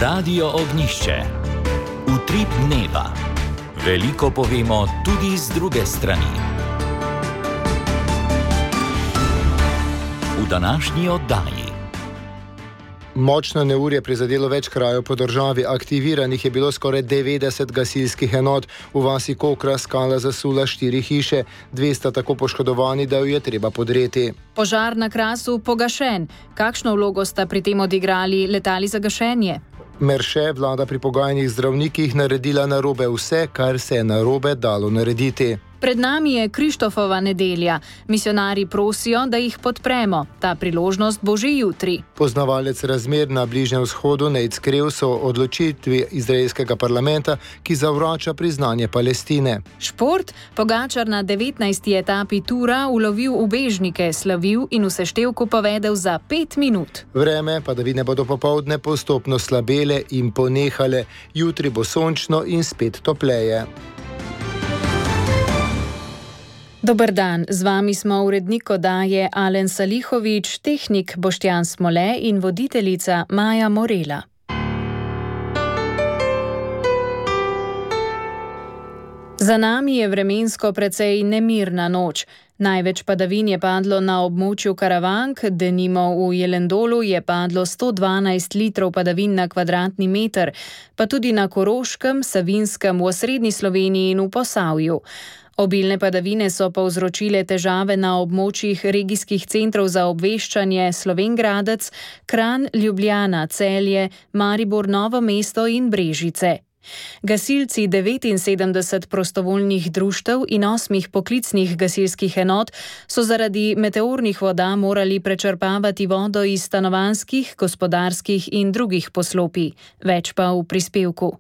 Radio Ognjišče. Utrip dneva. Veliko povemo tudi z druge strani. V današnji oddaji. Močno neurje prizadelo več krajev po državi. Aktiviranih je bilo skoraj 90 gasilskih enot. V vasi Kokra skala zasula 4 hiše. 2 sta tako poškodovani, da jo je treba podreti. Požar na Krasu pogašen. Kakšno vlogo sta pri tem odigrali letali za gašenje? Merše, vlada pri pogajanjih zdravnikih naredila narobe vse, kar se je narobe dalo narediti. Pred nami je Krištofova nedelja. Misionarji prosijo, da jih podpremo. Ta priložnost bo že jutri. Poznavalec razmer na Bližnjem vzhodu Nejc Krevs o odločitvi izraelskega parlamenta, ki zavrača priznanje Palestine. Šport. Pogačar na 19. etapi tura ulovil ubežnike, slavil in v seštevku povedel za 5 minut. Vreme, padavine bodo popoldne postopno slabele in ponehale. Jutri bo sončno in spet topleje. Dober dan, z vami smo urednik oddaje Alen Salihovič, tehnik Boštjan Smole in voditeljica Maja Morela. Za nami je vremensko precej nemirna noč. Največ padavin je padlo na območju Karavank, denimo v Jelendolu je padlo 112 litrov padavin na kvadratni meter, pa tudi na Koroškem, Savinjskem, v osrednji Sloveniji in v Posavju. Obilne padavine so povzročile težave na območjih regijskih centrov za obveščanje Slovenj Gradec, Kranj, Ljubljana, Celje, Maribor, Novo mesto in Brežice. Gasilci 79 prostovoljnih društev in 8 poklicnih gasilskih enot so zaradi meteornih voda morali prečrpavati vodo iz stanovanjskih, gospodarskih in drugih poslopij. Več pa v prispevku.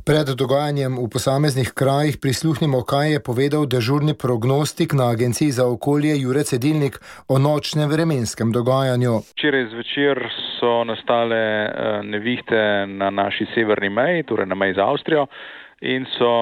Pred dogajanjem v posameznih krajih prisluhnimo, kaj je povedal dežurni prognostik na Agenciji za okolje Jure Cedilnik o nočnem vremenskem dogajanju. Včeraj zvečer so nastale nevihte na naši severni meji, torej na meji z Avstrijo, in so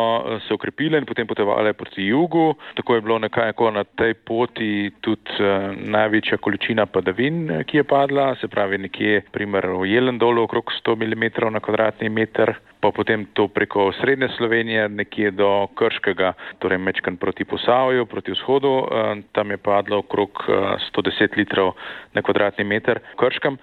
se okrepile in potem potovale proti jugu. Tako je bilo nekako na tej poti tudi največja količina padavin, ki je padla, se pravi nekje primer v Jelendolu okrog 100 mm na kvadratni meter, pa potem to preko srednje Slovenije, nekje do Krškega, torej mečkan proti Posavju, proti vzhodu, tam je padlo okrog 110 litrov na kvadratni meter v Krškem.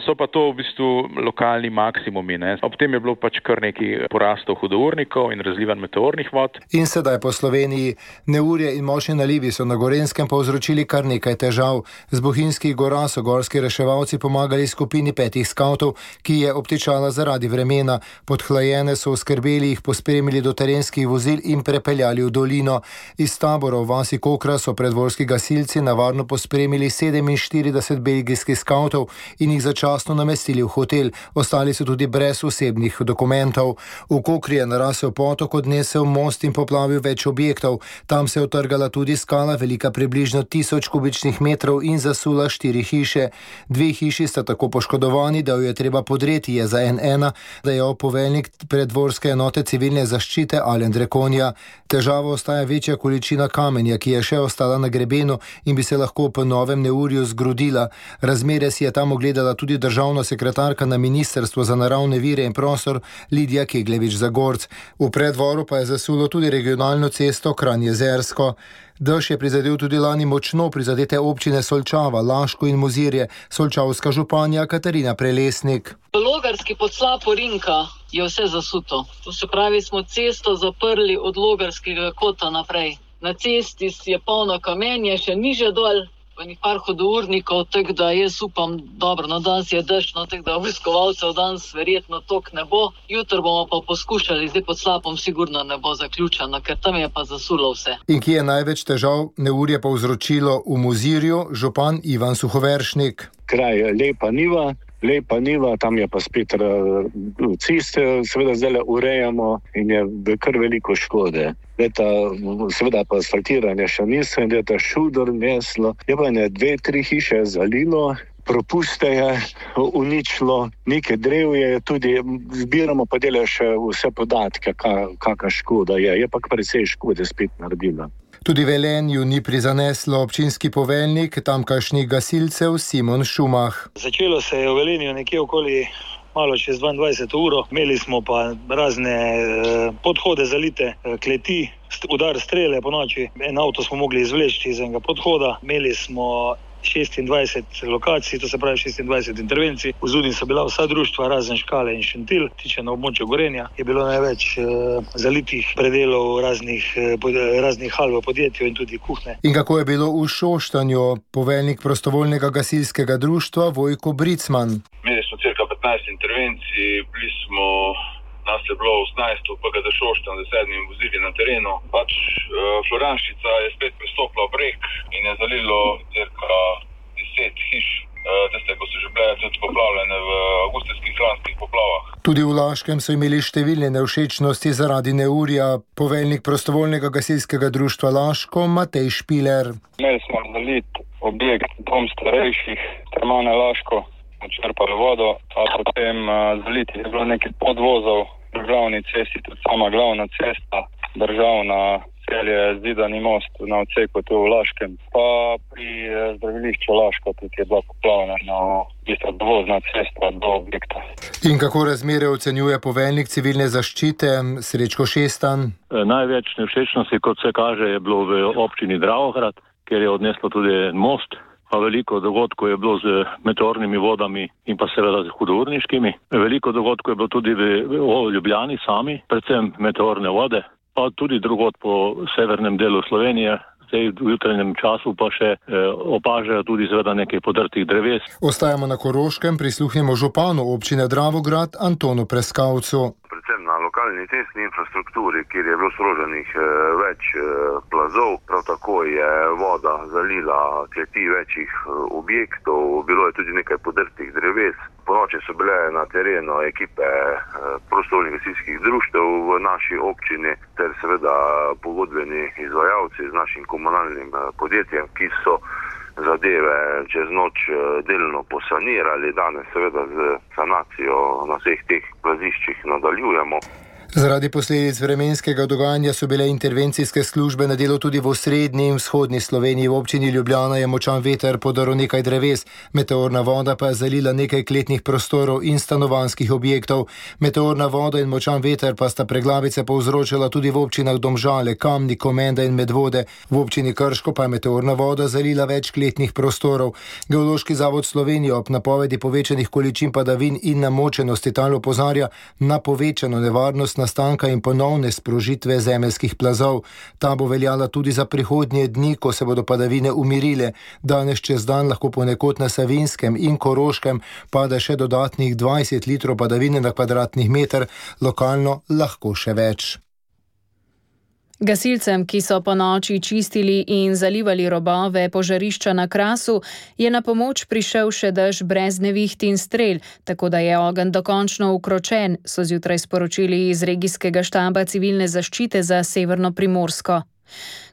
So pa to v bistvu lokalni maksimumi, ne. Ob tem je bilo pač kar nekaj porastov hudournikov in razlivanj meteornih vod. In sedaj po Sloveniji. Neurje in močni nalivi so na Gorenjskem povzročili kar nekaj težav. Z Bohinjskih gora so gorski reševalci pomagali skupini 5 skavtov, ki je obtičala zaradi vremena. Podhlajene so oskrbeli, jih pospremili do terenskih vozil in prepeljali v dolino. Iz tabora v vasi Kokra so predvorski gasilci navarno pospremili 47 belgijskih skavtov in jih začasno namestili v hotel. Ostali so tudi brez osebnih dokumentov. V Kokri je narasel potok, odnesel most in poplavil več objektov. Tam se je utrgala tudi skala, velika približno 1000 kubičnih metrov in zasula 4 hiše. 2 hiši sta tako poškodovani, da jo je treba podreti, je za N1, da je poveljnik predvorske enote civilne zaščite Alen Drekonja. Težava ostaja večja količina kamenja, ki je še ostala na grebenu in bi se lahko po novem neurju zgrudila. Razmere si je tam ogledala tudi državna sekretarka na Ministrstvu za naravne vire in prostor Lidija Kegljevič-Zagorc. V predvoru pa je zasulo tudi regionalno cesto Kranj-Jezersko. Dež je prizadel tudi lani močno prizadete občine Solčava, Laško in Mozirje. Solčavska županja Katarina Prelesnik. Logarski pod Slapo Rinka je vse zasuto. To se pravi, smo cesto zaprli od Logarskega kota naprej. Na cesti je polno kamenje, še niže dol, pa ni par hudournikov, tako da jaz upam, dobro, no danes je dežno, tako da obiskovalcev danes verjetno tok ne bo. Jutro bomo pa poskušali, zdaj pod Slapom sigurno ne bo zaključeno, ker tam je pa zasulo vse. In kje je največ težav neurje povzročilo v Mozirju, župan Ivan Suhoveršnik. Kraj je Lepa Niva, tam je pa spet ceste, seveda zdaj urejamo in je kar veliko škode. Seveda pa asfaltiranje še niso in je ta šudor neslo. Je pa 2-3 hiše zalilo, propuste je uničilo, nekaj drev je tudi, zbiramo pa delajo še vse podatke, kakšna škoda je. Je pa precej škode spet naredila. Tudi Velenju ni prizaneslo. Občinski poveljnik tamkajšnjih gasilcev Simon Šumah. Začelo se je v Velenju nekje okoli malo čez 22 uro. Imeli smo pa razne podhode zalite, kleti, udar strele po noči. En avto smo mogli izvleči iz enega podhoda. Imeli smo 26 lokacij, to se pravi 26 intervencij. V Zunji so bila vsa društva, razen Škale in Šentilj. Tiče na območju Gorenja je bilo največ zalitih predelov raznih hal v podjetju in tudi kuhne. In kako je bilo v Šoštanju? Poveljnik prostovoljnega gasilskega društva Vojko Bricman. Imeli smo cirka 15 intervencij, bili smo, nas je bilo 18 v PGD Šoštanj z 7 vozili na terenu. Floranščica je spet pristopila v breg in je zalilo cirka 10 hiš. Tiste, ko so že bile tudi poplavljene v avgustovskih lanskih poplavah. Tudi v Laškem so imeli številne nevšečnosti zaradi neurja. Poveljnik prostovoljnega gasilskega društva Laško Matej Špiler. Imeli smo zalit objekt dom starejših, Termane Laško, črpali vodo, a potem zaliti je bilo nekaj podvozov, državni cesti, tudi sama glavna cesta, državna Celje, Zidani most na odseku tu v Laškem, pa pri zdravilišču Laško tudi je bila poplavljena dovozna cesta do objekta. In kako razmere ocenjuje poveljnik civilne zaščite Srečko Šestan? Največ nevšečnosti, kot se kaže, je bilo v občini Dravograd, kjer je odneslo tudi most. Pa veliko dogodkov je bilo z meteornimi vodami in pa seveda z hudourniškimi. Veliko dogodkov je bilo tudi v Ljubljani sami, predvsem meteorne vode, pa tudi drugod po severnem delu Slovenije. Zdaj v jutranjem času pa še opažajo tudi seveda nekaj podrtih dreves. Ostajamo na Koroškem, prisluhnemo županu občine Dravograd Antonu Preskavcu. Predvsem na lokalni cestni infrastrukturi, kjer je bilo sproženih več plazov, prav tako je voda zalila kleti večjih objektov, bilo je tudi nekaj podrtih dreves. Ponoči so bile na terenu ekipe prostovoljnih gasilskih društev v naši občini ter seveda pogodbeni izvajalci z našim komunalnim podjetjem, ki so zadeve čez noč delno posanirali. Danes seveda z sanacijo na vseh teh plaziščih nadaljujemo. Zaradi posledic vremenskega dogajanja so bile intervencijske službe na delu tudi v osrednji in vzhodni Sloveniji. V občini Ljubljana je močan veter podaril nekaj dreves, meteorna voda pa je zalila nekaj kletnih prostorov in stanovanjskih objektov. Meteorna voda in močan veter pa sta preglavice povzročila tudi v občinah Domžale, Kamnik, Komenda in Medvode. V občini Krško pa je meteorna voda zalila več kletnih prostorov. Geološki zavod Slovenije ob napovedi povečanih količin padavin in namočenosti tal opozarja na povečano nevarnost nastanka in ponovne sprožitve zemeljskih plazov. Ta bo veljala tudi za prihodnje dni, ko se bodo padavine umirile. Danes čez dan lahko ponekod na Savinjskem in Koroškem pada še dodatnih 20 litrov padavine na kvadratnih meter, lokalno lahko še več. Gasilcem, ki so po noči čistili in zalivali robove požarišča na Krasu, je na pomoč prišel še dež brez neviht in strel, tako da je ogenj dokončno ukročen, so zjutraj sporočili iz regijskega štaba civilne zaščite za Severno Primorsko.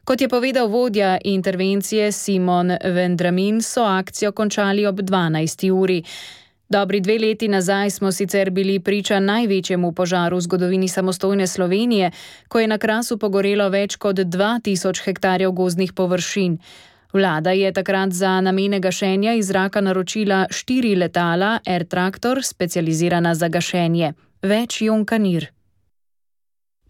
Kot je povedal vodja intervencije Simon Vendramin, so akcijo končali ob 12. uri. Dobri 2 leti nazaj smo sicer bili priča največjemu požaru v zgodovini samostojne Slovenije, ko je na Krasu pogorelo več kot 2000 hektarjev gozdnih površin. Vlada je takrat za namene gašenja iz zraka naročila 4 letala Air Tractor, specializirana za gašenje. Več Jon Kanir.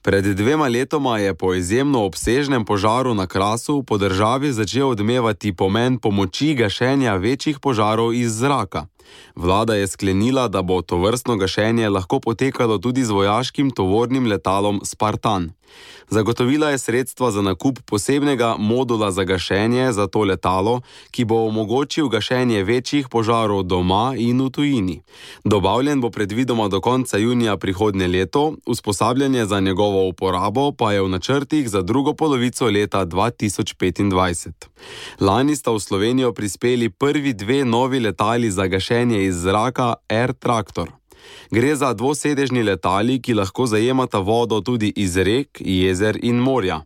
Pred 2 letoma je po izjemno obsežnem požaru na Krasu po državi začel odmevati pomen pomoči gašenja večjih požarov iz zraka. Vlada je sklenila, da bo tovrstno gašenje lahko potekalo tudi z vojaškim tovornim letalom Spartan. Zagotovila je sredstva za nakup posebnega modula za gašenje za to letalo, ki bo omogočil gašenje večjih požarov doma in v tujini. Dobavljen bo predvidoma do konca junija prihodnje leto, usposabljanje za njegovo uporabo pa je v načrtih za drugo polovico leta 2025. Lani sta v Slovenijo prispeli prvi 2 novi letali za gašenje iz zraka Air Tractor. Gre za dvosedežni letali, ki lahko zajemata vodo tudi iz rek, jezer in morja.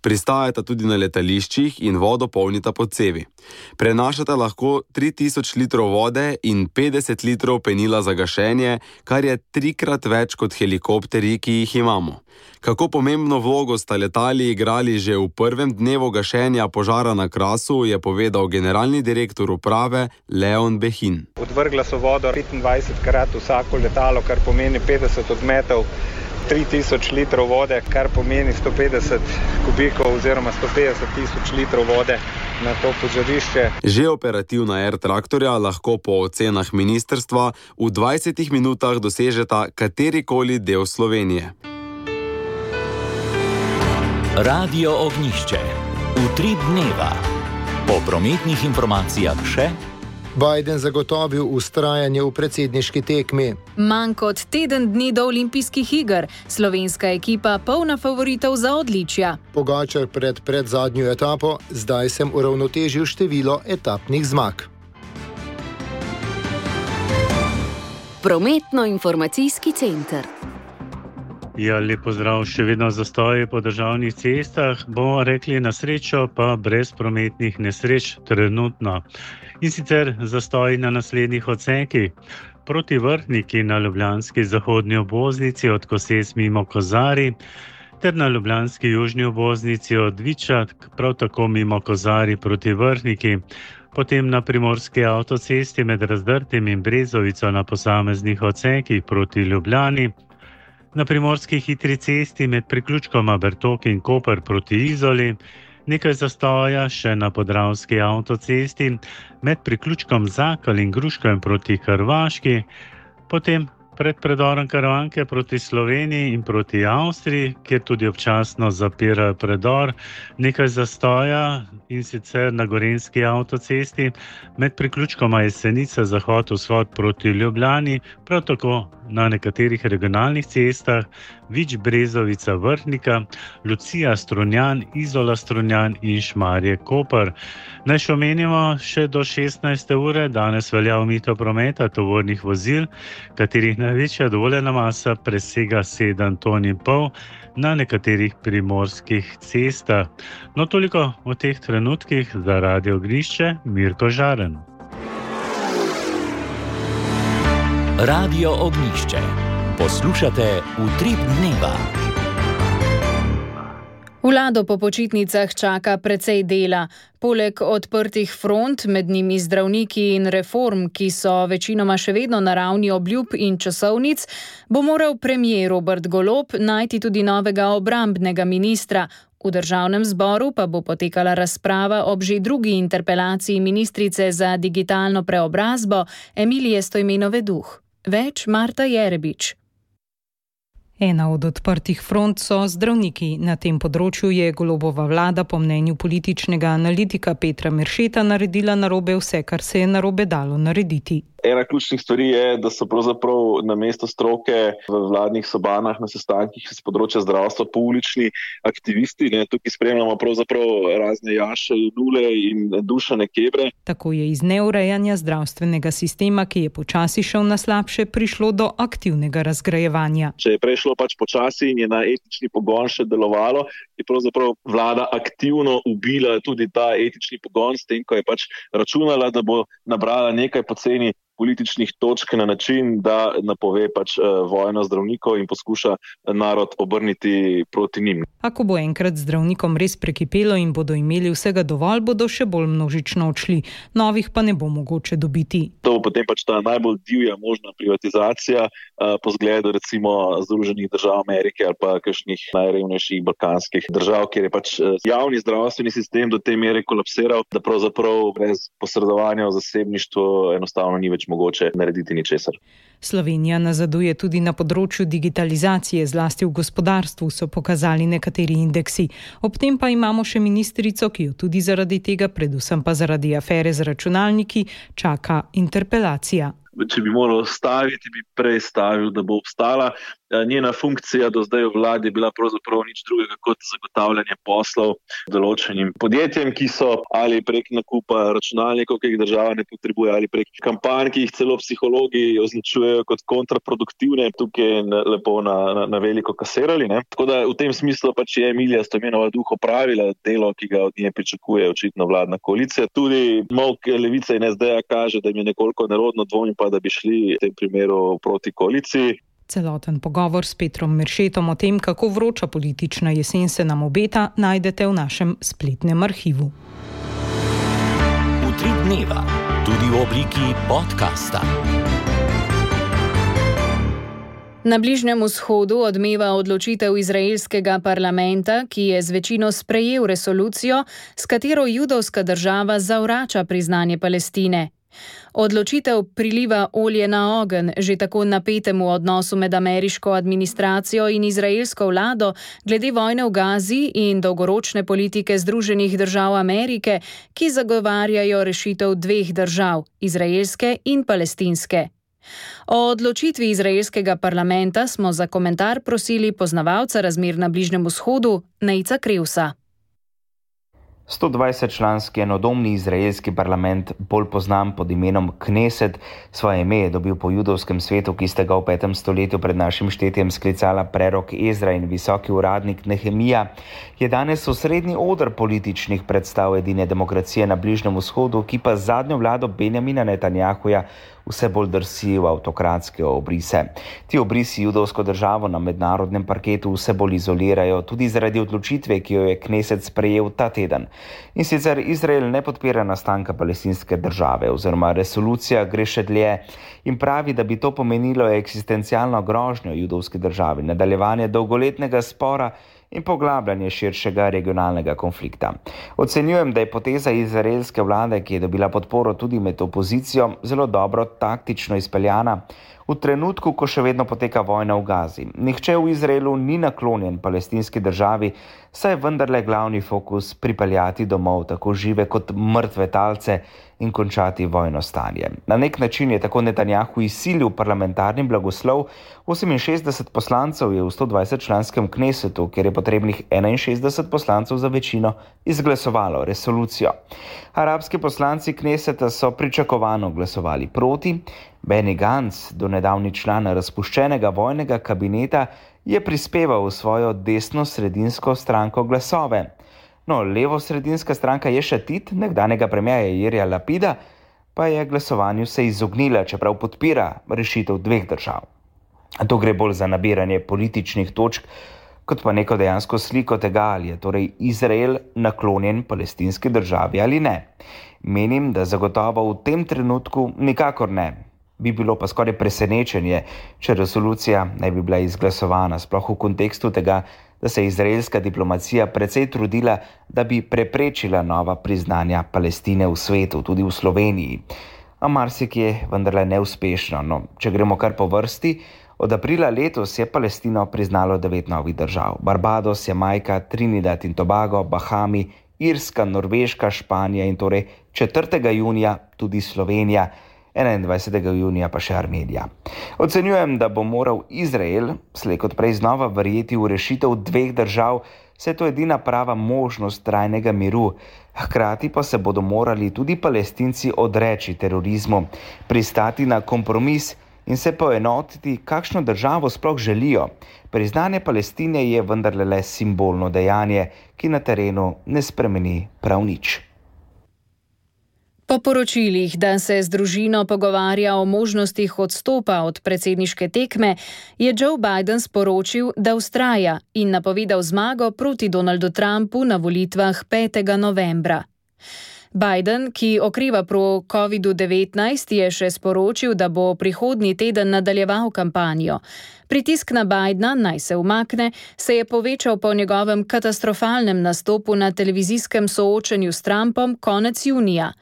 Pristajata tudi na letališčih in vodo polnita po cevi. Prenašata lahko 3000 litrov vode in 50 litrov penila za gašenje, kar je 3-krat več kot helikopterji, ki jih imamo. Kako pomembno vlogo sta letali igrali že v prvem dnevu gašenja požara na Krasu, je povedal generalni direktor uprave Leon Behin. Odvrgla so vodo 25krat vsako letalo, kar pomeni 50 odmetov, 3000 litrov vode, kar pomeni 150 kubikov oziroma 150 000 litrov vode na to požarišče. Že operativna Air traktorja lahko po ocenah ministrstva v 20 minutah dosežeta katerikoli del Slovenije. Radio Ognjišče. Utrip dneva. Po prometnih informacijah še. Biden zagotovil vztrajanje v predsedniški tekmi. Manj kot teden dni do olimpijskih iger. Slovenska ekipa polna favoritov za odličja. Pogačar pred zadnjo etapo, zdaj sem uravnotežil število etapnih zmag. Prometno-informacijski center. Ja, lep pozdrav, še vedno zastoji po državnih cestah, bomo rekli na srečo, pa brez prometnih nesreč trenutno. In sicer zastoji na naslednjih odsekih. Proti Vrhniki na ljubljanski zahodni obvoznici od Koses mimo Kozarij, ter na ljubljanski južni obvoznici od Viča, prav tako mimo Kozarij proti Vrhniki. Potem na primorski avtocesti med Razdrtim in Brezovico na posameznih odsekih proti Ljubljani. Na primorski hitri cesti med priključkoma Bertok in Koper proti Izoli, nekaj zastoja še na podravski avtocesti med priključkom Zakal in Gruškovem proti Hrvaški, potem pred predorom Karavanke proti Sloveniji in proti Avstriji, kjer tudi občasno zapirajo predor, nekaj zastoja in sicer na gorenjski avtocesti med priključkoma Jesenica zahod-vzhod proti Ljubljani, prav tako na nekaterih regionalnih cestah Vič Brezovica Vrhnika, Lucija Strunjan, Izola Strunjan in Šmarje Koper. Naj še omenimo še do 16. ure, danes velja omejitev prometa tovornih vozil, katerih največja dovoljena masa presega 7,5 ton na nekaterih primorskih cestah. No, toliko v teh trenutkih za Radio Ognjišče, Mirko Žaren. Radio Ognjišče. Poslušate Utrip dneva. Vlado po počitnicah čaka precej dela. Poleg odprtih front, med njimi zdravniki in reform, ki so večinoma še vedno na ravni obljub in časovnic, bo moral premier Robert Golob najti tudi novega obrambnega ministra. V državnem zboru pa bo potekala razprava ob že drugi interpelaciji ministrice za digitalno preobrazbo Emilije Stojmenove Duh. Več Marta Jerebič. Ena od odprtih front so zdravniki. Na tem področju je Golobova vlada po mnenju političnega analitika Petra Meršeta naredila narobe vse, kar se je narobe dalo narediti. Ena ključnih stvari je, da so pravzaprav na mesto stroke v vladnih sobanah na sestankih z področja zdravstva poulični aktivisti. Tukaj spremljamo pravzaprav razne Jaše, Nule in Dušane Kebre. Tako je iz neurejanja zdravstvenega sistema, ki je počasi šel na slabše, prišlo do aktivnega razgrajevanja. Če je prešlo počasi in je na etični pogon še delovalo, je pravzaprav vlada aktivno ubila tudi ta etični pogon s tem, ko je računala, da bo nabrala nekaj poceni političnih točk na način, da napove vojno zdravnikov in poskuša narod obrniti proti njim. Ako bo enkrat zdravnikom res prekipelo in bodo imeli vsega dovolj, bodo še bolj množično odšli. Novih pa ne bo mogoče dobiti. To bo potem ta najbolj divja možna privatizacija po zgledu recimo Združenih držav Amerike ali pa kakšnih najrevnejših balkanskih držav, kjer je javni zdravstveni sistem do te mere kolapsiral, da pravzaprav brez posredovanja v zasebništvu enostavno ni več mogoče narediti ničesar. Slovenija nazaduje tudi na področju digitalizacije, zlasti v gospodarstvu, so pokazali nekateri indeksi. Ob tem pa imamo še ministrico, ki jo tudi zaradi tega, predvsem pa zaradi afere z računalniki, čaka interpelacija. če bi moral staviti, bi prej stavil, da bo obstala. Njena funkcija do zdaj v vladi je bila pravzaprav nič drugega kot zagotavljanje poslov določenim podjetjem, ki so ali prek nakupa računalnikov, ki jih država ne potrebuje, ali prek kampanj, ki jih celo psihologi označujejo kot kontraproduktivne, tukaj lepo na veliko kasirali. Ne? Tako da v tem smislu pač je Emilija Stojmenova Duh opravila delo, ki ga od nje pričakuje očitno vladna koalicija. Tudi molk Levice in SD-ja kaže, da jim je nekoliko nerodno, dvomim pa, da bi šli v tem primeru proti koaliciji. Celoten pogovor s Petrom Meršetom o tem, kako vroča politična jesen se nam obeta, najdete v našem spletnem arhivu. Utrip dneva, tudi v obliki podcasta. Na Bližnjem vzhodu odmeva odločitev izraelskega parlamenta, ki je z večino sprejel resolucijo, s katero judovska država zavrača priznanje Palestine. Odločitev priliva olje na ogenj že tako napetemu odnosu med ameriško administracijo in izraelsko vlado glede vojne v Gazi in dolgoročne politike Združenih držav Amerike, ki zagovarjajo rešitev dveh držav, izraelske in palestinske. O odločitvi izraelskega parlamenta smo za komentar prosili poznavalca razmer na Bližnjem vzhodu, Nejca Krevsa. 120-članski enodomni izraelski parlament, bolj poznan pod imenom Kneset, svoje ime je dobil po judovskem svetu, ki sta ga v 5. stoletju pred našim štetjem sklicala prerok Ezra in visoki uradnik Nehemija, je danes osrednji oder političnih predstav edine demokracije na Bližnjem vzhodu, ki pa z zadnjo vlado Benjamina Netanjahuja vse bolj drsi v avtokratske obrise. Ti obrisi judovsko državo na mednarodnem parketu vse bolj izolirajo, tudi zaradi odločitve, ki jo je Kneset sprejel ta teden. In sicer Izrael ne podpira nastanka palestinske države, oziroma resolucija gre še dlje in pravi, da bi to pomenilo eksistencialno grožnjo judovski državi, nadaljevanje dolgoletnega spora in poglabljanje širšega regionalnega konflikta. Ocenjujem, da je poteza izraelske vlade, ki je dobila podporo tudi med opozicijo, zelo dobro taktično izpeljana v trenutku, ko še vedno poteka vojna v Gazi. Nihče v Izraelu ni naklonjen palestinski državi, saj je vendarle glavni fokus pripeljati domov tako žive kot mrtve talce in končati vojno stanje. Na nek način je tako Netanjahu izsilil parlamentarni blagoslov. 68 poslancev je v 120-članskem Knesetu, kjer je potrebnih 61 poslancev za večino, izglasovalo resolucijo. Arabski poslanci Kneseta so pričakovano glasovali proti. Benny Gantz, donedavni član razpuščenega vojnega kabineta, je prispeval v svojo desno-sredinsko stranko glasove. No, levo-sredinska stranka Ješatit, nekdanjega premierja Jairja Lapida, pa je glasovanju se izognila, čeprav podpira rešitev dveh držav. To gre bolj za nabiranje političnih točk, kot pa neko dejansko sliko tega, ali je torej Izrael naklonjen palestinski državi ali ne. Menim, da zagotovo v tem trenutku nikakor ne. Bi bilo pa skoraj presenečenje, če resolucija ne bi bila izglasovana, sploh v kontekstu tega, da se je izraelska diplomacija precej trudila, da bi preprečila nova priznanja Palestine v svetu, tudi v Sloveniji. A marsikje vendarle neuspešno. No, če gremo kar po vrsti, od aprila letos je Palestino priznalo 9 novih držav. Barbados, Jamajka, Trinidad in Tobago, Bahami, Irska, Norveška, Španija in torej 4. junija tudi Slovenija, 21. junija pa še Armenija. Ocenjujem, da bo moral Izrael slej kot prej znova verjeti v rešitev dveh držav, saj je to edina prava možnost trajnega miru. Hkrati pa se bodo morali tudi Palestinci odreči terorizmu, pristati na kompromis in se poenotiti, kakšno državo sploh želijo. Priznanje Palestine je vendarle le simbolno dejanje, ki na terenu ne spremeni prav nič. Po poročilih, da se z družino pogovarja o možnostih odstopa od predsedniške tekme, je Joe Biden sporočil, da vztraja in napovedal zmago proti Donaldu Trumpu na volitvah 5. novembra. Biden, ki okreva pro COVID-19, je še sporočil, da bo prihodnji teden nadaljeval kampanjo. Pritisk na Bidena, naj se umakne, se je povečal po njegovem katastrofalnem nastopu na televizijskem soočenju s Trumpom konec junija.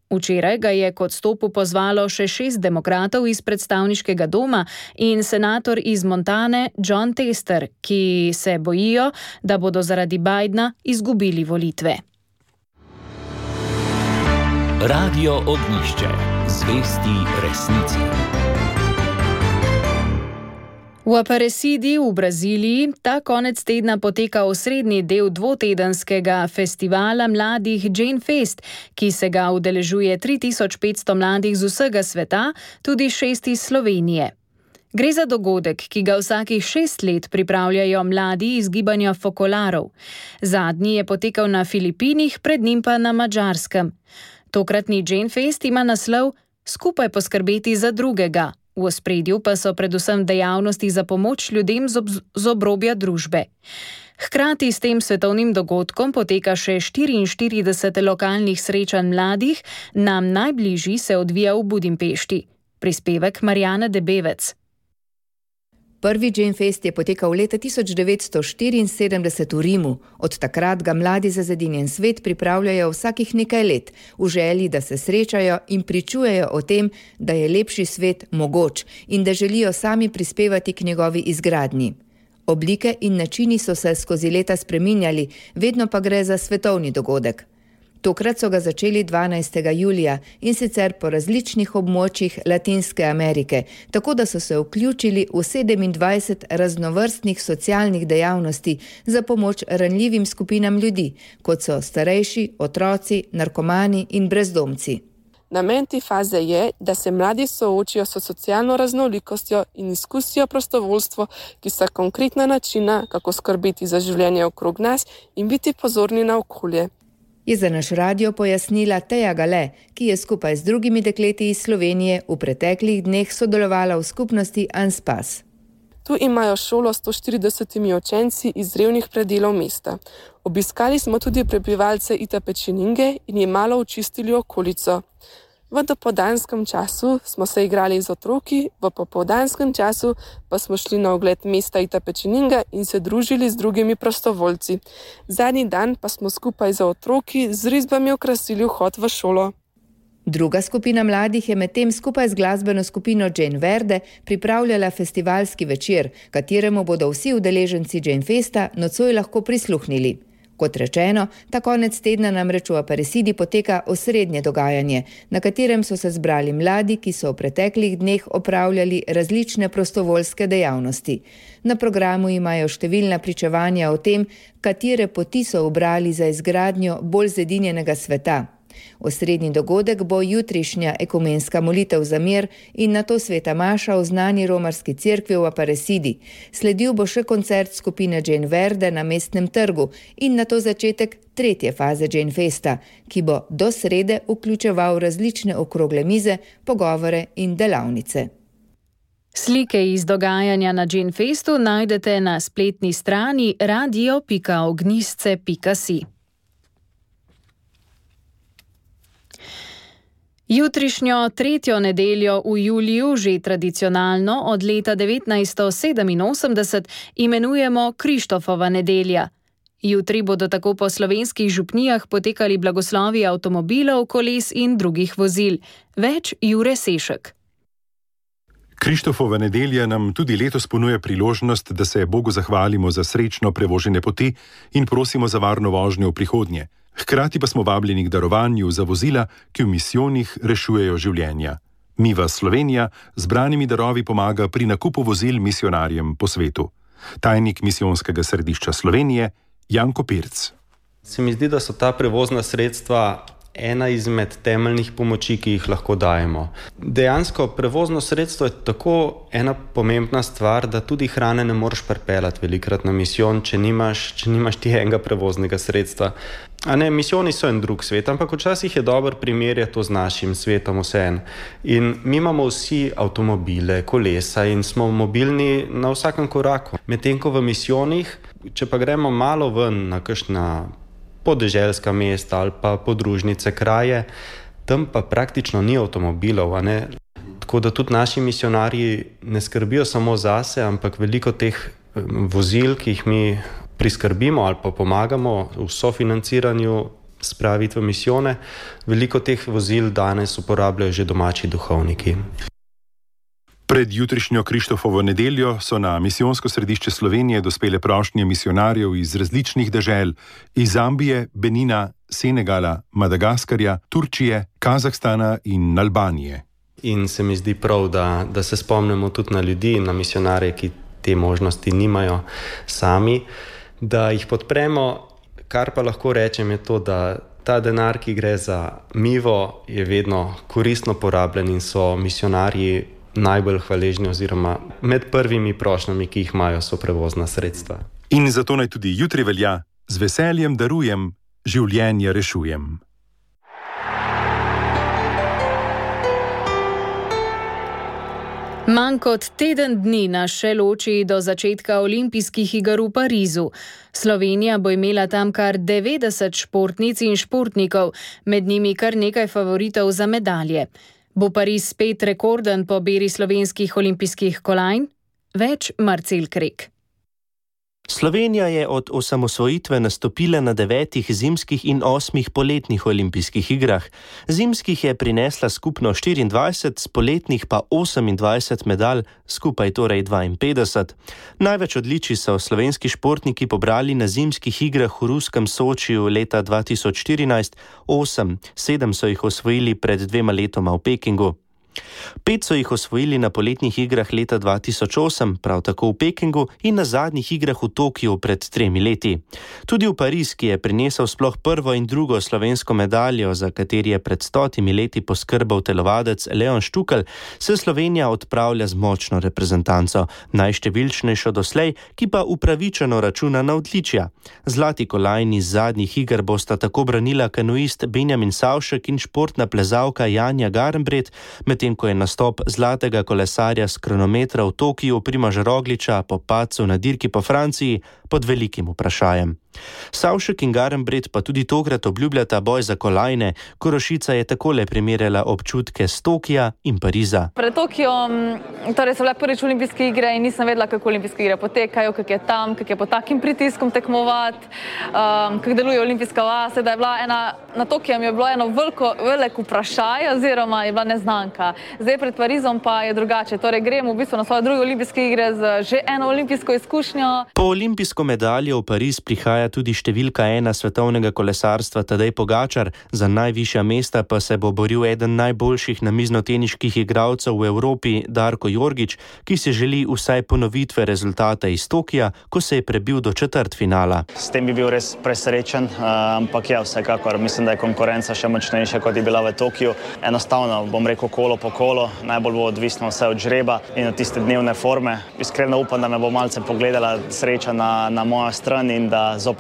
Včeraj ga je k odstopu pozvalo še 6 demokratov iz predstavniškega doma in senator iz Montane Jon Tester, ki se bojijo, da bodo zaradi Bidena izgubili volitve. Radio Ognjišče. Zvesti resnici. V Aparecidi v Braziliji ta konec tedna poteka osrednji del dvotedenskega festivala mladih Jane Fest, ki se ga udeležuje 3500 mladih z vsega sveta, tudi 6 iz Slovenije. Gre za dogodek, ki ga vsakih 6 let pripravljajo mladi iz gibanja Fokolarov. Zadnji je potekal na Filipinih, pred njim pa na Madžarskem. Tokratni Jane Fest ima naslov Skupaj poskrbeti za drugega. V ospredju pa so predvsem dejavnosti za pomoč ljudem z obrobja družbe. Hkrati s tem svetovnim dogodkom poteka še 44 lokalnih srečanj mladih, nam najbližji se odvija v Budimpešti. Prispevek Marjana Debevec. Prvi Jane Fest je potekal leta 1974 v Rimu. Od takrat ga mladi za zedinjen svet pripravljajo vsakih nekaj let, v želji, da se srečajo in pričujejo o tem, da je lepši svet mogoč in da želijo sami prispevati k njegovi izgradnji. Oblike in načini so se skozi leta spreminjali, vedno pa gre za svetovni dogodek. Tokrat so ga začeli 12. julija in sicer po različnih območjih Latinske Amerike, tako da so se vključili v 27 raznovrstnih socialnih dejavnosti za pomoč ranljivim skupinam ljudi, kot so starejši, otroci, narkomani in brezdomci. Namen te faze je, da se mladi soočijo s socialno raznolikostjo in izkusijo prostovoljstvo, ki sta konkretna načina, kako skrbeti za življenje okrog nas in biti pozorni na okolje. Je za naš radio pojasnila Teja Gale, ki je skupaj z drugimi dekleti iz Slovenije v preteklih dneh sodelovala v skupnosti Anspas. Tu imajo šolo s 140 učenci iz revnih predelov mesta. Obiskali smo tudi prebivalce Itapečininge in jim malo očistili okolico. V dopoldanskem času smo se igrali z otroki, v popoldanskem času pa smo šli na ogled mesta Itapečininga in se družili z drugimi prostovoljci. Zadnji dan pa smo skupaj z otroki z risbami okrasili vhod v šolo. Druga skupina mladih je medtem skupaj z glasbeno skupino Jane Verde pripravljala festivalski večer, kateremu bodo vsi udeleženci Jane Festa nocoj lahko prisluhnili. Kot rečeno, ta konec tedna namreč v Aparecidi poteka osrednje dogajanje, na katerem so se zbrali mladi, ki so v preteklih dneh opravljali različne prostovoljske dejavnosti. Na programu imajo številna pričevanja o tem, katere poti so ubrali za izgradnjo bolj zedinjenega sveta. Osrednji dogodek bo jutrišnja ekumenska molitev za mir in nato sveta maša v znani romarski cerkvi v Aparecidi. Sledil bo še koncert skupine Jane Verde na mestnem trgu in nato začetek tretje faze Jane Festa, ki bo do srede vključeval različne okrogle mize, pogovore in delavnice. Slike iz dogajanja na Jane Festu najdete na spletni strani radio.ognjisce.si. Jutrišnjo tretjo nedeljo v juliju, že tradicionalno od leta 1987, imenujemo Krištofova nedelja. Jutri bodo tako po slovenskih župnijah potekali blagoslovi avtomobilov, koles in drugih vozil. Več Jure Sešek. Krištofova nedelja nam tudi letos ponuja priložnost, da se Bogu zahvalimo za srečno prevožene poti in prosimo za varno vožnjo v prihodnje. Hkrati pa smo vabljeni k darovanju za vozila, ki v misijonih rešujejo življenja. Miva Slovenija z branimi darovi pomaga pri nakupu vozil misionarjem po svetu. Tajnik misijonskega središča Slovenije Janko Pirc. Se mi zdi, da so ta prevozna sredstva ena izmed temeljnih pomoči, ki jih lahko dajemo. Dejansko prevozno sredstvo je tako ena pomembna stvar, da tudi hrane ne moreš pripeljati velikrat na misijon, če nimaš ti enega prevoznega sredstva. Misijoni so en drug svet, ampak včasih je dober primerjati to z našim svetom vseeno. In mi imamo vsi avtomobile, kolesa in smo mobilni na vsakem koraku. Medtem ko v misijonih, če pa gremo malo ven na kakšna podeželska mesta ali pa podružnice kraje, tam pa praktično ni avtomobilov, Tako da tudi naši misionarji ne skrbijo samo zase, ampak veliko teh vozil, ki jih mi priskrbimo ali pa pomagamo v sofinanciranju spraviti v misijone, veliko teh vozil danes uporabljajo že domači duhovniki. Pred jutrišnjo Krištofovo nedeljo so na misijonsko središče Slovenije dospele prošnje misionarjev iz različnih dežel, iz Zambije, Benina, Senegala, Madagaskarja, Turčije, Kazahstana in Albanije. In se mi zdi prav, da se spomnimo tudi na ljudi, na misionarje, ki te možnosti nimajo sami, da jih podpremo. Kar pa lahko rečem je to, da ta denar, ki gre za Mivo, je vedno koristno porabljen in so misionarji najbolj hvaležni oziroma med prvimi prošnjami, ki jih imajo, so prevozna sredstva. In zato naj tudi jutri velja: z veseljem darujem, življenje rešujem. Manj kot teden dni nas še loči do začetka olimpijskih iger v Parizu. Slovenija bo imela tam kar 90 športnic in športnikov, med njimi kar nekaj favoritov za medalje. Bo Pariz spet rekorden po beri slovenskih olimpijskih kolajn? Več Marcel Krek. Slovenija je od osamosvojitve nastopila na 9 zimskih in 8 poletnih olimpijskih igrah. Zimskih je prinesla skupno 24, s poletnih pa 28 medalj, skupaj torej 52. Največ odličij so slovenski športniki pobrali na zimskih igrah v ruskem Sočiju leta 2014, 8, 7 so jih osvojili pred 2 letoma v Pekingu. 5 so jih osvojili na poletnih igrah leta 2008, prav tako v Pekingu, in na zadnjih igrah v Tokiu pred 3 leti. Tudi v Pariz, ki je prinesel sploh prvo in drugo slovensko medaljo, za kateri je pred 100 leti poskrbel telovadec Leon Štukelj, se Slovenija odpravlja z močno reprezentanco, najštevilčnejšo doslej, ki pa upravičeno računa na odličja. Zlati kolajni z zadnjih iger bosta tako branila kanuist Benjamin Savšek in športna plezalka Janja Garnbret, medtem ko je nastop zlatega kolesarja s kronometra v Tokiu Primoža Rogliča po padcu na dirki po Franciji pod velikim vprašajem. Savšek in Garnbret pa tudi tokrat obljubljata boj za kolajne. Korošica je takole primerjala občutke s Tokija in Pariza. Pred Tokijom, torej so bile prvič olimpijske igre in nisem vedela, kako olimpijske igre potekajo, kako je tam, kako je pod takim pritiskom tekmovati, kako deluje olimpijska vas. Da je bila na Tokijem je bilo eno veliko vprašanje oziroma je bila neznanka. Zdaj pred Parizom pa je drugače. Torej gremo v bistvu na svoje druge olimpijske igre z že eno olimpijsko izkušnjo. Po olimpijsko medaljo v Pariz prihaja tudi številka 1 svetovnega kolesarstva Tadej Pogačar, za najvišja mesta pa se bo boril eden najboljših namiznoteniških igralcev v Evropi, Darko Jorgič, ki si želi vsaj ponovitve rezultata iz Tokija, ko se je prebil do četrtfinala. S tem bi bil res presrečen, ampak ja, vsekakor mislim, da je konkurenca še močnejša, kot je bila v Tokiju. Enostavno, bom rekel, kolo po kolo, najbolj bo odvisno vse od žreba in od tiste dnevne forme. Iskreno upam, da me bo malce pogledala sreča na mojo stran in da zopet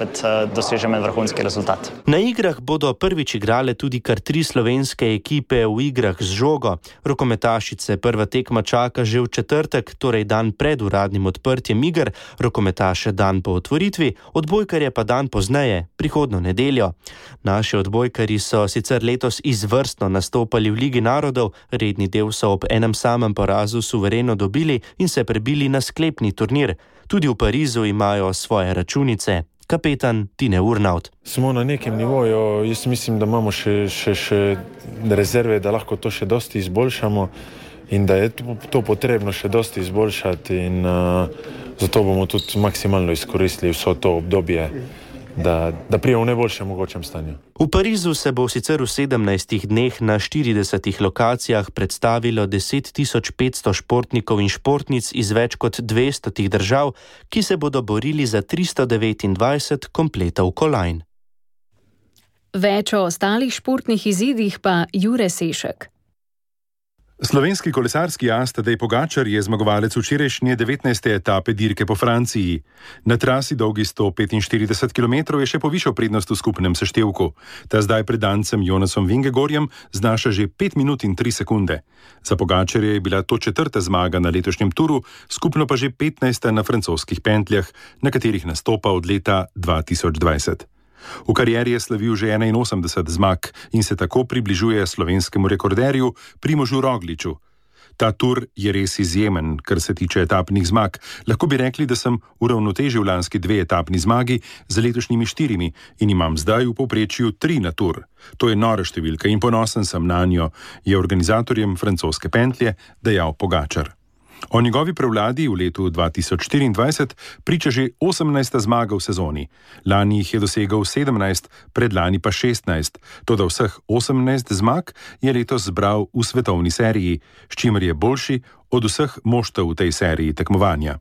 dosežem en vrhunski rezultat. Na igrah bodo prvič igrale tudi kar 3 slovenske ekipe v igrah z žogo. Rokometašice prva tekma čaka že v četrtek, torej dan pred uradnim odprtjem iger, rokometaše dan po otvoritvi, odbojkarje pa dan pozneje, prihodnjo nedeljo. Naši odbojkarji so sicer letos izvrstno nastopali v Ligi narodov, redni del so ob enem samem porazu suvereno dobili in se prebili na sklepni turnir. Tudi v Parizu imajo svoje računice. Kapetan Tine Urnaut. Smo na nekem nivoju, jaz mislim, da imamo še rezerve, da lahko to še dosti izboljšamo in da je to potrebno še dosti izboljšati in zato bomo tudi maksimalno izkoristili vso to obdobje, da prijemo v najboljšem mogočem stanju. V Parizu se bo sicer v 17 dneh na 40 lokacijah predstavilo 10.500 športnikov in športnic iz več kot 200 držav, ki se bodo borili za 329 kompletov kolajn. Več o ostalih športnih izidih pa Jure Sešek. Slovenski kolesarski as Tadej Pogačar je zmagovalec včerajšnje 19. etape dirke po Franciji. Na trasi dolgi 145 km je še povišal prednost v skupnem seštevku. Ta zdaj pred dancem Jonasom Vingegorjem znaša že 5 minut in 3 sekunde. Za Pogačarja je bila to 4. zmaga na letošnjem turu, skupno pa že 15. na francoskih pentljah, na katerih nastopa od leta 2020. V karieri je slavil že 81 zmag in se tako približuje slovenskemu rekorderju Primožu Rogliču. Ta tur je res izjemen, kar se tiče etapnih zmag. Lahko bi rekli, da sem uravnotežil lanski 2 etapni zmagi z letošnjimi 4 in imam zdaj v povprečju 3 na tur. To je nora številka in ponosen sem na njo, je organizatorjem francoske pentlje dejal Pogačar. O njegovi prevladi v letu 2024 priča že 18. zmaga v sezoni. Lani jih je dosegel 17, predlani pa 16. Toda vseh 18 zmag je letos zbral v svetovni seriji, s čimer je boljši od vseh moštev v tej seriji tekmovanja.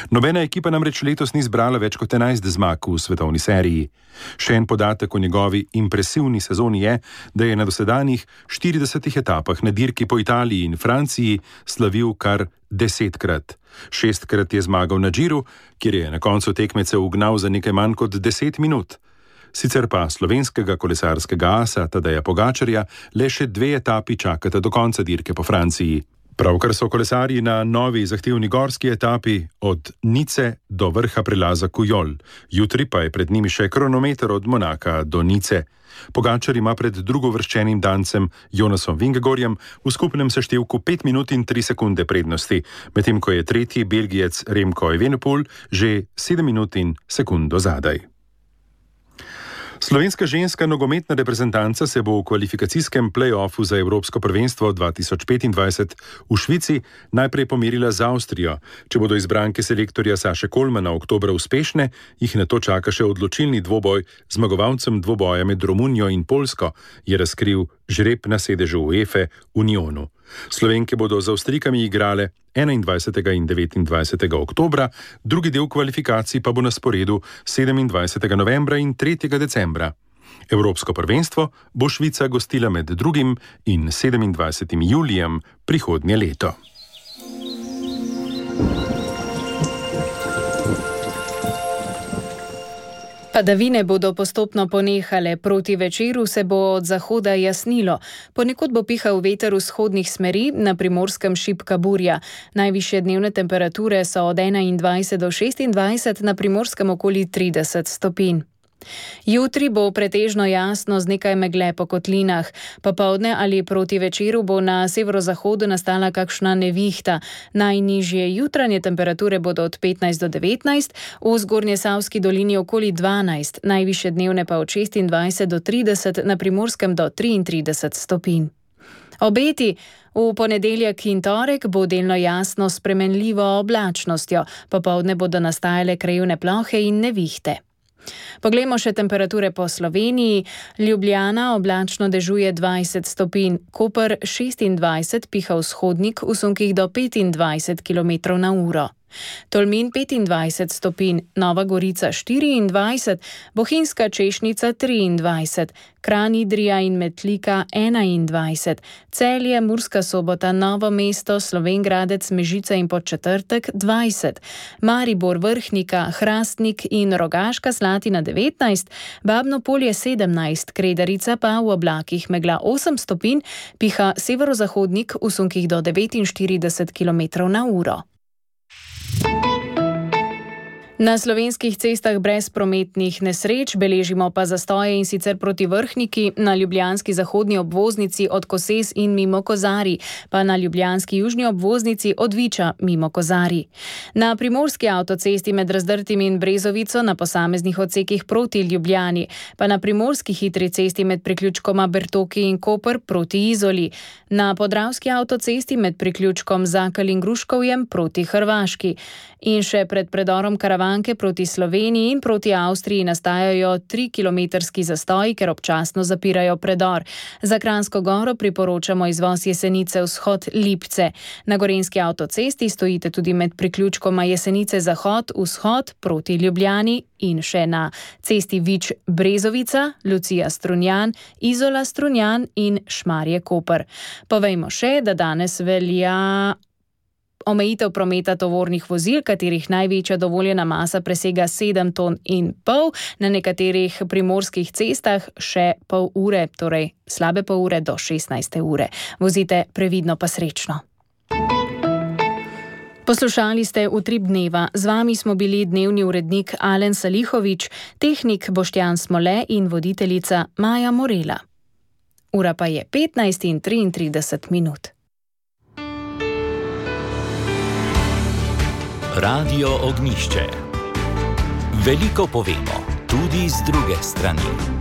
Nobena ekipa namreč letos ni zbrala več kot 11 zmag v svetovni seriji. Še en podatek o njegovi impresivni sezoni je, da je na dosedanjih 40 etapah na dirki po Italiji in Franciji slavil kar 10-krat. 6-krat je zmagal na Džiru, kjer je na koncu tekmece ugnal za nekaj manj kot 10 minut. Sicer pa slovenskega kolesarskega asa Tadeja Pogačarja le še 2 etapi čakata do konca dirke po Franciji. Pravkar so kolesarji na novi zahtevni gorski etapi od Nice do vrha prelaza Kujol. Jutri pa je pred njimi še kronometer od Monaka do Nice. Pogačar ima pred drugovrščenim dancem Jonasom Vingegorjem v skupnem seštevku 5 minut in 3 sekunde prednosti, medtem ko je tretji Belgijec Remco Evenepoel že 7 minut in sekundo zadaj. Slovenska ženska nogometna reprezentanca se bo v kvalifikacijskem play-offu za Evropsko prvenstvo 2025 v Švici najprej pomerila z Avstrijo. Če bodo izbranke selektorja Saše Kolmana oktobra uspešne, jih nato čaka še odločilni dvoboj z zmagovalcem dvoboja med Romunijo in Poljsko, je razkril žreb na sedežu UEFA Unionu. Slovenke bodo z Avstrijkami igrale 21. in 29. oktobra, drugi del kvalifikacij pa bo na sporedu 27. novembra in 3. decembra. Evropsko prvenstvo bo Švica gostila med 2. in 27. julijem prihodnje leto. Padavine bodo postopno ponehale, proti večeru se bo od zahoda jasnilo. Ponekod bo pihal veter vzhodnih smeri, na Primorskem šibka burja. Najvišje dnevne temperature so od 21 do 26, na Primorskem okoli 30 stopinj. Jutri bo pretežno jasno z nekaj megle po kotlinah. Popoldne ali proti večeru bo na severozahodu nastala kakšna nevihta. Najnižje jutranje temperature bodo od 15 do 19, v Zgornjesavski dolini okoli 12, najvišje dnevne pa od 26 do 30, na Primorskem do 33 stopinj. Obeti v ponedeljek in torek bo delno jasno s spremenljivo oblačnostjo. Popoldne bodo nastajale krajevne plohe in nevihte. Poglejmo še temperature po Sloveniji. Ljubljana oblačno dežuje 20 stopinj, Koper 26, piha vzhodnik v sunkih do 25 km/h. Tolmin 25 stopinj, Nova Gorica 24, Bohinjska Češnica 23, Kranj, Idrija in Metlika 21, Celje, Murska Sobota, Novo mesto, Slovenj Gradec, Mežica in Podčetrtek 20, Maribor, Vrhnika, Hrastnik in Rogaška Slatina 19, Babno Polje 17, Kredarica pa v oblakih megla 8 stopinj, piha severozahodnik v sunkih do 49 km/h. Na slovenskih cestah brez prometnih nesreč, beležimo pa zastoje, in sicer proti Vrhniki, na ljubljanski zahodni obvoznici od Koses in mimo Kozarij, pa na ljubljanski južni obvoznici od Viča mimo Kozarij. Na primorski avtocesti med Razdrtim in Brezovico na posameznih odsekih proti Ljubljani, pa na primorski hitri cesti med priključkoma Bertoki in Koper proti Izoli, na podravski avtocesti med priključkom Zakal in Gruškovjem proti Hrvaški. In še pred predorom Karavanke proti Sloveniji in proti Avstriji nastajajo 3-kilometrski zastoji, ker občasno zapirajo predor. Za Kranjsko Goro priporočamo izvoz Jesenice vzhod Lipce. Na gorenjski avtocesti stojite tudi med priključkoma Jesenice zahod-vzhod proti Ljubljani in še na cesti Vič Brezovica, Lucija Strunjan, Izola Strunjan in Šmarje Koper. Povejmo še, da danes velja omejitev prometa tovornih vozil, katerih največja dovoljena masa presega 7,5 ton, na nekaterih primorskih cestah še pol ure, torej slabe pol ure do 16. ure. Vozite previdno pa srečno. Poslušali ste Utrip dneva. Z vami smo bili dnevni urednik Alen Salihovič, tehnik Boštjan Smole in voditeljica Maja Morela. Ura pa je 15:33. Radio Ognjišče. Veliko povemo, tudi z druge strani.